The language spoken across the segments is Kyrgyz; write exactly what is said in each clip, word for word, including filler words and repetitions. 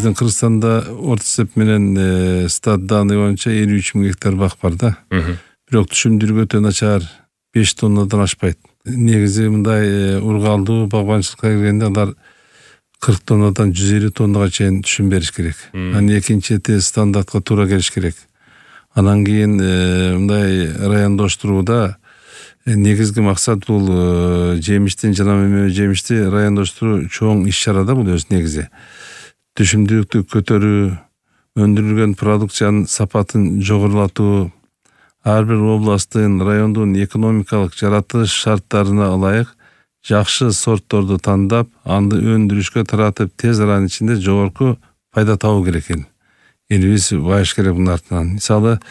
биздин Кыргызстанда орто эсеп менен стат данный боюнча элүү үч миң гектар бак бар да. Бирок түшүмдүрүгү өтө начар, беш тоннадан ашпайт. Негизи мындай ургалдуу багбанчылыкка киргенде алар кырк тоннадан жүз элүү тоннага чейин түшүм бериш керек. Анан экинчи стандартка туура келиш керек. Анан кийин мындай райондоштурууда негизги максат бул жемиштин жана мөмө жемишти райондоштуруу чоң иш-чара да бул өз негизи. Түшүмдүүлүктү көтөрүү, өндүрүлгөн продукциянын сапатын жогорулатуу, ар бир областтын, райондун экономикалык жаратылыш шарттарына ылайык жакшы сортторду тандап, аны өндүрүшкө таратып, тез аранын ичинде жогорку пайда табуу керек экен. Элибиз байыш керек мунун артынан. Мисалы,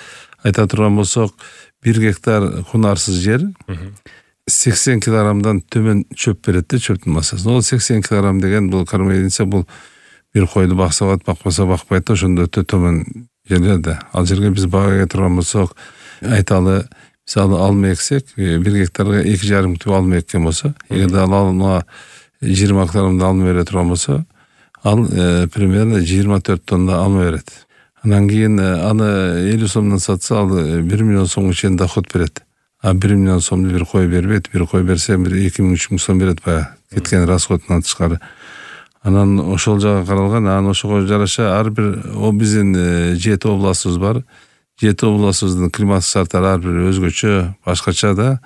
айта турган болсок, бир гектар кунарсыз жер сексен килограммдан төмөн чөп берет да, чөптүн массасы. Ол сексен килограмм деген бул кармайдинсе бул бир койду бакса болот, бакпаса бакпайт да, ошондо өтө төмөн жерлер да. Ал жерге биз бага эке турган болсок, айталы, мисалы алма эксек, бир гектарга эки жарым түп алма эккен болсо, эгерде ал алма жыйырма килограммдан алма бере турган болсо, ал примерно жыйырма төрт тонна алма берет. Анан кийин аны элүү сомдон сатса, ал бир миллион сомго чейин доход берет. А бир миллион сомду бир кой бербейт, бир кой берсе бир эки миң үч миң сом берет баягы кеткен расходунан тышкары. Анан ошол жагы каралган, анан ошого жараша ар бир биздин жети областыбыз бар. Жети областыбыздын климаттык шарттары ар бир өзгөчө, башкача да.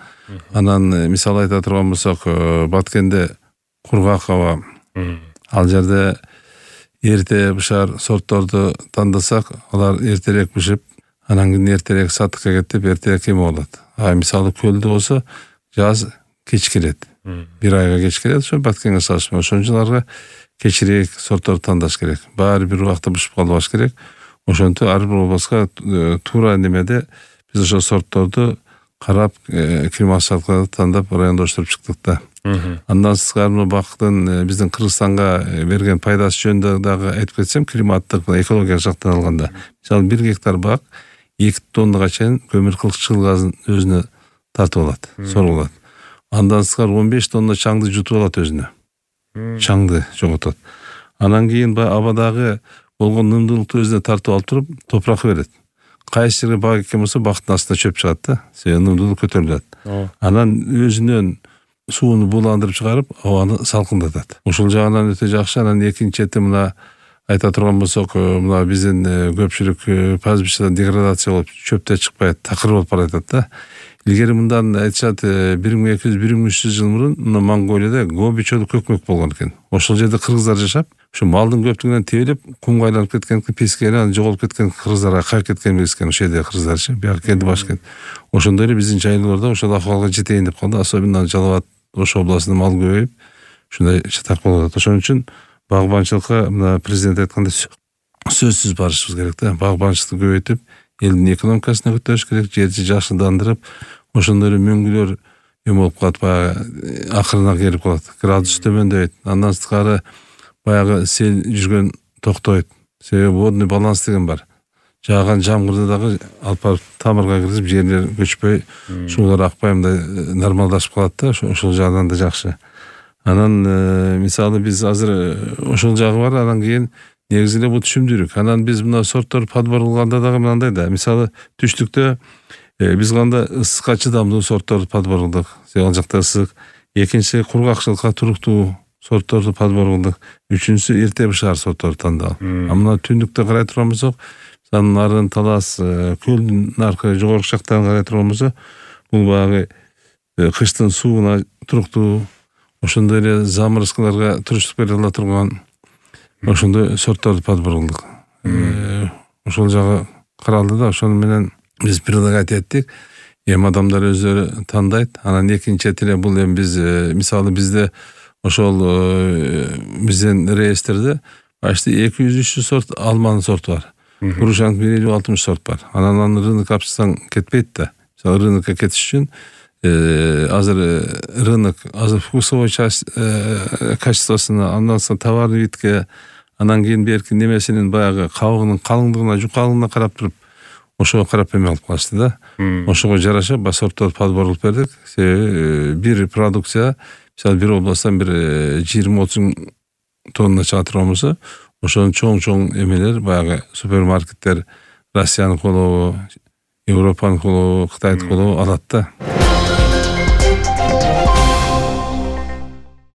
Анан мисалы айта турган болсок, Баткенде кургак аба. Ал жерде эрте бышар сортторду тандасак, алар эртерээк бышып, анан кийин эртерээк сатыкка кетип, эртерээк эме болот. А мисалы көлдө болсо, жаз кеч келет. Бир айга кеч келет, ошо Баткенге салыштырмалуу. Ошон үчүн аларга кечирээк сортторду тандаш керек. Баары бир убакта бышып калбаш керек. Ошентип ар бир областка туура немеде биз ошол сортторду карап, климат шарттарды тандап райондоштуруп чыктык да. Андан сырткары бактын биздин Кыргызстанга берген пайдасы жөнүндө дагы айтып кетсем, климаттык, экологиялык жактан алганда, мисалы бир гектар бак эки тоннага чейин көмүр кылчыл газын өзүнө тартып алат, соруп алат. Андан сырткары он беш тонна чаңды жутуп алат өзүнө. Чаңды жоготот. Анан кийин абадагы болгон нымдуулукту өзүнө тартып алып туруп, топурак берет. Кайсы жерге бак экен болсо, бактын астына чөп чыгат да, себеби нымдуулук көтөрүлөт. Анан өзүнөн сууну бууландырып чыгарып, абаны салкындатат. Ошол жагынан өтө жакшы. Анан экинчи чети мына айта турган болсок, мына биздин көпчүлүк пастбищада деградация болуп, чөптө чыкпайт, такыр болуп баратат да. Илгери мындан айтышат, бир миң эки жүз бир миң үч жүз жыл мурун Монголияда Гоби чөлү көкмөк болгон экен. Ошол жерде кыргыздар жашап, ушу малдын көптүгүнөн тебелеп, кумга айланып кеткен, песке айланып жоголуп кеткен кыргыздарга кайып кеткен билескен, ошол жерде кыргыздарчы, бияка келди башкент. Ошондой эле биздин жайлоолордо ошол акыбалга жетейин деп калды. Особенно Жалал Абад ошол областында мал көбөйүп, ушундай чатак болуп атат. Ошон үчүн багбанчылыкка мына президент айткандай сөзсүз барышыбыз керек да. Багбанчылыкты көбөйтүп, элдин экономикасын көтөрүш керек, жерди жакшыландырып, ошондой эле мөңгүлөр эме болуп калат, баягы акырына келип калат. Градус төмөндөйт. Андан сырткары баягы сел жүргөн токтойт. Себеби водный баланс деген бар. Жааган жамгырды дагы алып барып тамырга киргизип, жерлер көчпөй, суулар акпай мындай нормалдашып калат да, ошол жагынан да жакшы. Анан мисалы биз азыр ошол жагы бар, анан кийин негизи эле бул түшүмдүүлүк. Анан биз мына сорттор подбор кылганда дагы мындай да, мисалы түштүктө биз кандай ысыкка чыдамдуу сортторду подбор кылдык. Ал жакта ысык. Экинчи кургакчылыкка туруктуу сортторду подбор кылдык. Үчүнчүсү эрте бышар сортторду тандалып. А мына түндүктө карай турган болсок, нарын талас, көлдүн аркы жогорку жактарын карай турган болсо, бул баягы кыштын сууна туруктуу, ошондой эле замырыскыларга туруштук бере ала турган ошондой сортторду подбор кылдык. Ошол жагы каралды да, ошону менен биз предлагать эттик. Эми адамдар өздөрү тандайт. Анан экинчи эле бул эми биз мисалы бизде ошол биздин реестрде почти эки жүз үч жүз сорт алманын сорту бар. Грушанын бир элүү алтымыш сорт бар. Анан аны рынокко алып чыксаң кетпейт да. Мисалы рынокко кетиш үчүн азыр рынок азыр вкусовой часть качествосуна, андан соң товарный видке, анан кийин берки немесинин баягы кабыгынын калыңдыгына, жукалыгына карап туруп, ошого карап эме алып калышты да. Ошого жараша ба сорттор подбор кылып бердик. Себеби бир продукция, мисалы бир областтан бир жыйырма отуз тонна чыга турган болсо, ошонун чоң-чоң эмелер баягы супермаркеттер Россиянын колобу, Европанын колобу, Кытайдын колобу алат да.